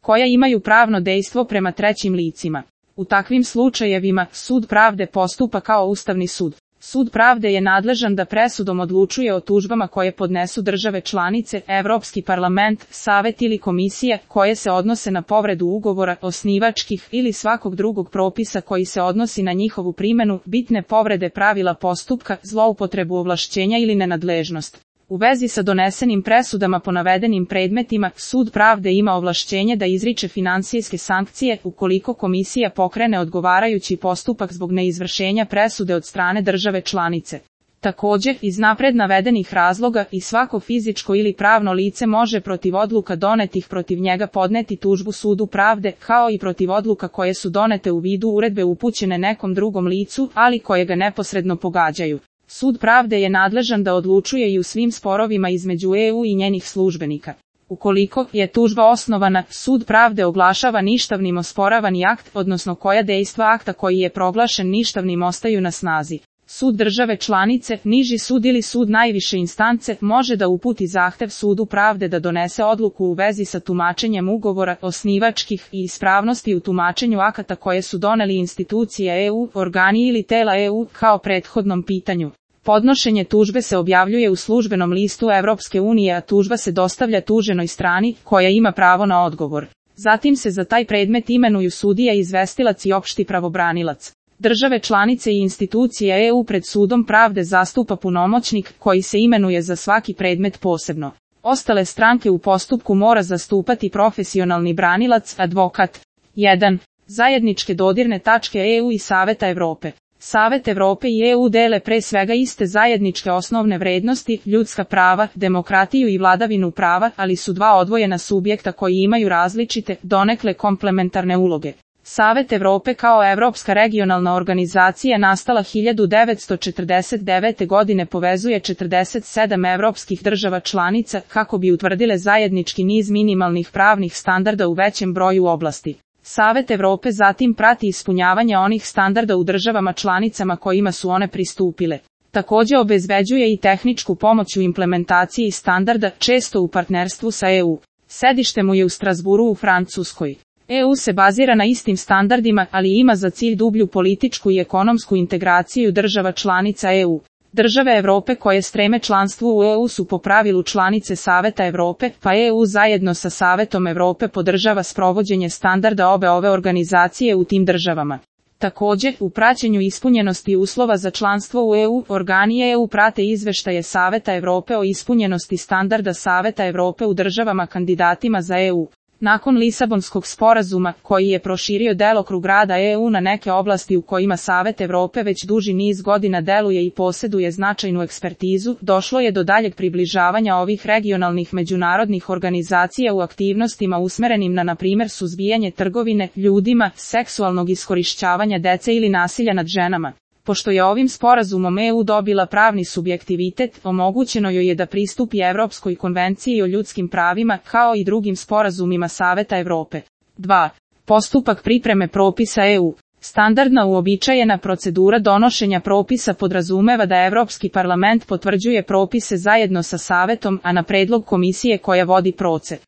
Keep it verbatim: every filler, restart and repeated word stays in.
koja imaju pravno dejstvo prema trećim licima. U takvim slučajevima, Sud pravde postupa kao Ustavni sud. Sud pravde je nadležan da presudom odlučuje o tužbama koje podnesu države članice, Evropski parlament, Savet ili Komisija, koje se odnose na povredu ugovora, osnivačkih ili svakog drugog propisa koji se odnosi na njihovu primjenu, bitne povrede pravila postupka, zloupotrebu ovlašćenja ili nenadležnost. U vezi sa donesenim presudama po navedenim predmetima, Sud pravde ima ovlašćenje da izriče finansijske sankcije ukoliko Komisija pokrene odgovarajući postupak zbog neizvršenja presude od strane države članice. Također, iz napred navedenih razloga i svako fizičko ili pravno lice može protiv odluka donetih protiv njega podneti tužbu Sudu pravde, kao i protiv odluka koje su donete u vidu uredbe upućene nekom drugom licu, ali koje ga neposredno pogađaju. Sud pravde je nadležan da odlučuje i u svim sporovima između E U i njenih službenika. Ukoliko je tužba osnovana, Sud pravde oglašava ništavnim osporavani akt, odnosno koja dejstva akta koji je proglašen ništavnim ostaju na snazi. Sud države članice, niži sud ili sud najviše instance može da uputi zahtev Sudu pravde da donese odluku u vezi sa tumačenjem ugovora, osnivačkih i ispravnosti u tumačenju akata koje su doneli institucije E U, organi ili tela E U, kao prethodnom pitanju. Podnošenje tužbe se objavljuje u službenom listu Evropske unije, a tužba se dostavlja tuženoj strani, koja ima pravo na odgovor. Zatim se za taj predmet imenuju sudija, izvestilac i opšti pravobranilac. Države članice i institucije E U pred Sudom pravde zastupa punomoćnik, koji se imenuje za svaki predmet posebno. Ostale stranke u postupku mora zastupati profesionalni branilac, advokat. jedan. Zajedničke dodirne tačke E U i Saveta Evrope. Savet Evrope i E U dele pre svega iste zajedničke osnovne vrednosti, ljudska prava, demokratiju i vladavinu prava, ali su dva odvojena subjekta koji imaju različite, donekle komplementarne uloge. Savet Evrope kao evropska regionalna organizacija nastala hiljadu devetsto četrdeset devete. godine povezuje četrdeset sedam evropskih država članica kako bi utvrdile zajednički niz minimalnih pravnih standarda u većem broju oblasti. Savet Evrope zatim prati ispunjavanje onih standarda u državama članicama kojima su one pristupile. Također obezbeđuje i tehničku pomoć u implementaciji standarda, često u partnerstvu sa E U. Sedište mu je u Strasburu u Francuskoj. E U se bazira na istim standardima, ali ima za cilj dublju političku i ekonomsku integraciju država članica E U. Države Evrope koje streme članstvu u E U su po pravilu članice Saveta Evrope, pa E U zajedno sa Savetom Evrope podržava sprovođenje standarda obe ove organizacije u tim državama. Također, u praćenju ispunjenosti uslova za članstvo u E U, organi E U prate izveštaje Saveta Evrope o ispunjenosti standarda Saveta Evrope u državama kandidatima za E U. Nakon Lisabonskog sporazuma, koji je proširio delokrug rada E U na neke oblasti u kojima Savet Evrope već duži niz godina deluje i posjeduje značajnu ekspertizu, došlo je do daljeg približavanja ovih regionalnih međunarodnih organizacija u aktivnostima usmerenim na, na primjer, suzbijanje trgovine ljudima, seksualnog iskorišćavanja dece ili nasilja nad ženama. Pošto je ovim sporazumom E U dobila pravni subjektivitet, omogućeno joj je da pristupi Evropskoj konvenciji o ljudskim pravima, kao i drugim sporazumima Saveta Evrope. dva. Postupak pripreme propisa E U. Standardna uobičajena procedura donošenja propisa podrazumeva da Evropski parlament potvrđuje propise zajedno sa Savetom, a na predlog komisije koja vodi proces.